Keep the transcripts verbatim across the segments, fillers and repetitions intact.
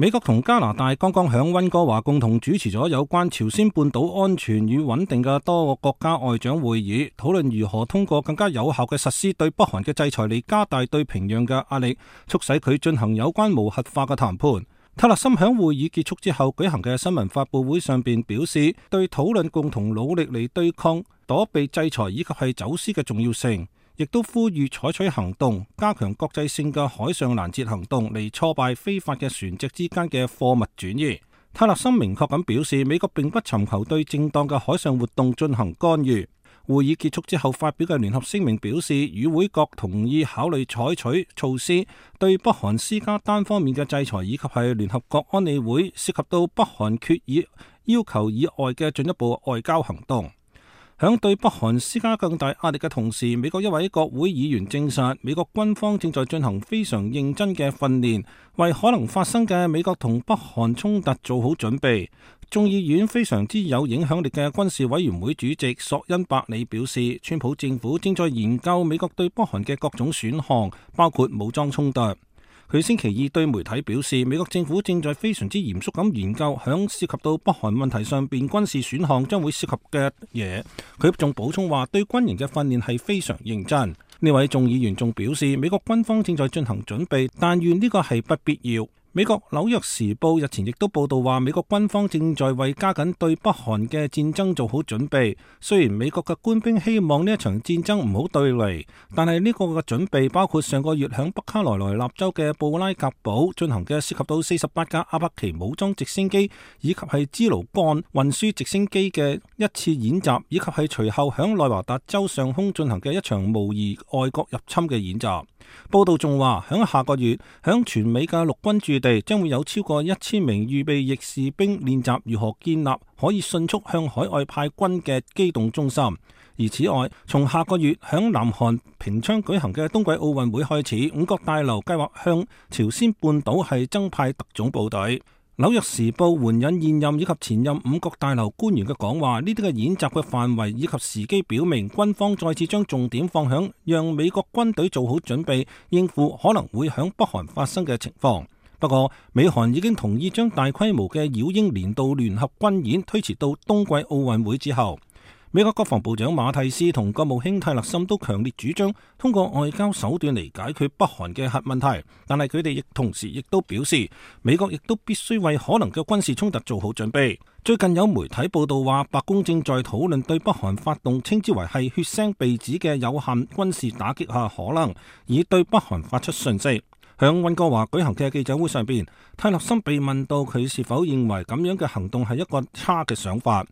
美國同加拿大剛剛響溫哥華共同主持咗有關朝鮮半島安全與穩定嘅多個國家外長會議，討論如何通過更加有效嘅實施對北韓嘅制裁嚟加大對平壤嘅壓力，促使佢進行有關無核化嘅談判。泰勒森響會議結束之後舉行嘅新聞發佈會上邊表示，對討論共同努力嚟對抗躲避制裁以及係走私嘅重要性，亦都呼籲採取行動，加強國際性嘅海上攔截行動嚟挫敗非法嘅船隻之間嘅貨物轉移。泰勒森明確咁表示，美國並不尋求對正當嘅海上活動進行干預。會議結束之後發表嘅聯合聲明表示，與會國同意考慮採取措施對北韓施加單方面嘅制裁，以及係聯合國安理會涉及到北韓決議要求以外嘅進一步外交行動。響對北韓施加更大壓力嘅同時，美國一位國會議員證實，美國軍方正在進行非常認真嘅訓練，為可能發生嘅美國同北韓衝突做好準備。眾議院非常之有影響力嘅軍事委員會主席索恩伯里表示，川普政府正在研究美國對北韓嘅各種選項，包括武裝衝突。佢星期二對媒體表示，美國政府正在非常之嚴肅咁研究響涉及到北韓問題上邊軍事選項將會涉及嘅嘢。佢仲補充話，對軍營嘅訓練係非常認真。呢位眾議員仲表示，美國軍方正在進行準備，但願呢個係不必要。美國紐約時報日前亦都報道話，美國軍方正在為加緊對北韓嘅戰爭做好準備。雖然美國嘅官兵希望呢一場戰爭唔好對壘，但係呢個嘅準備包括上個月響北卡羅來納州嘅布拉格堡進行嘅涉及到四十八架阿帕奇武裝直升機以及係支盧幹運輸直升機嘅一次演習，以及係隨後響內華達州上空進行嘅一場模擬外國入侵嘅演習。報道仲話，響下個月響全美嘅陸軍駐地將會有超過一千名預備役士兵練習如何建立可以迅速向海外派軍嘅機動中心。而此外，從下個月響南韓平昌舉行嘅冬季奧運會開始，五角大樓計劃向朝鮮半島係增派特種部隊。紐約時報援引現任以及前任五角大樓官員嘅講話，呢啲嘅演習嘅範圍以及時機表明，軍方再次將重點放響讓美國軍隊做好準備，應付可能會響北韓發生嘅情況。不過，美韓已經同意將大規模嘅擾英年度聯合軍演推遲到冬季奧運會之後。美國國防部長馬蒂斯同國務卿泰勒森都強烈主張通過外交手段嚟解決北韓嘅核問題，但係佢哋亦同時亦都表示，美國亦都必須為可能嘅軍事衝突做好準備。最近有媒體報道話，白宮正在討論對北韓發動稱之為係血腥鼻子嘅有限軍事打擊下可能，以對北韓發出訊息。響溫哥華舉行嘅記者會上邊，泰勒森被問到佢是否認為咁樣嘅行動係一個差嘅想法。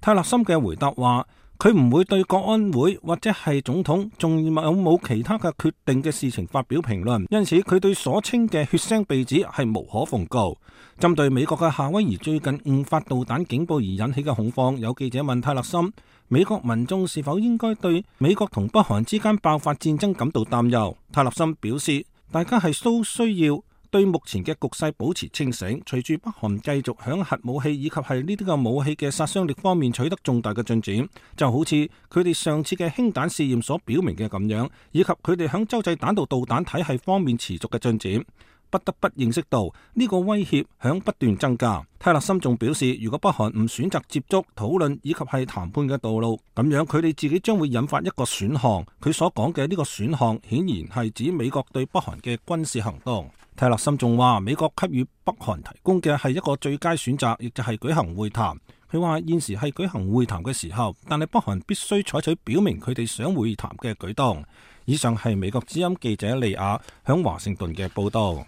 泰勒森嘅回答話，佢唔會對國安會或者係總統仲有冇其他嘅決定嘅事情發表評論，因此佢對所稱嘅血腥鼻子係無可奉告。針對美國嘅夏威夷最近誤發導彈警報而引起嘅恐慌，有記者問泰勒森，美國民眾是否應該對美國同北韓之間爆發戰爭感到擔憂？泰勒森表示，大家係都需要對目前嘅局勢保持清醒，隨住北韓繼續響核武器以及係呢啲嘅武器嘅殺傷力方面取得重大嘅進展，就好似佢哋上次嘅氫彈試驗所表明嘅咁樣，以及佢哋響洲際彈道導彈體系方面持續嘅進展，不得不認識到呢個威脅響不斷增加。泰勒森仲表示，如果北韓唔選擇接觸、討論以及係談判嘅道路，咁樣佢哋自己將會引發一個選項。佢所講嘅呢個選項顯然係指美國對北韓嘅軍事行動。泰勒森仲話，美國給予北韓提供嘅係一個最佳選擇，亦就係舉行會談。佢話現時係舉行會談嘅時候，但係北韓必須採取表明佢哋想會談嘅舉動。以上係美國之音記者利亞響華盛頓嘅報道。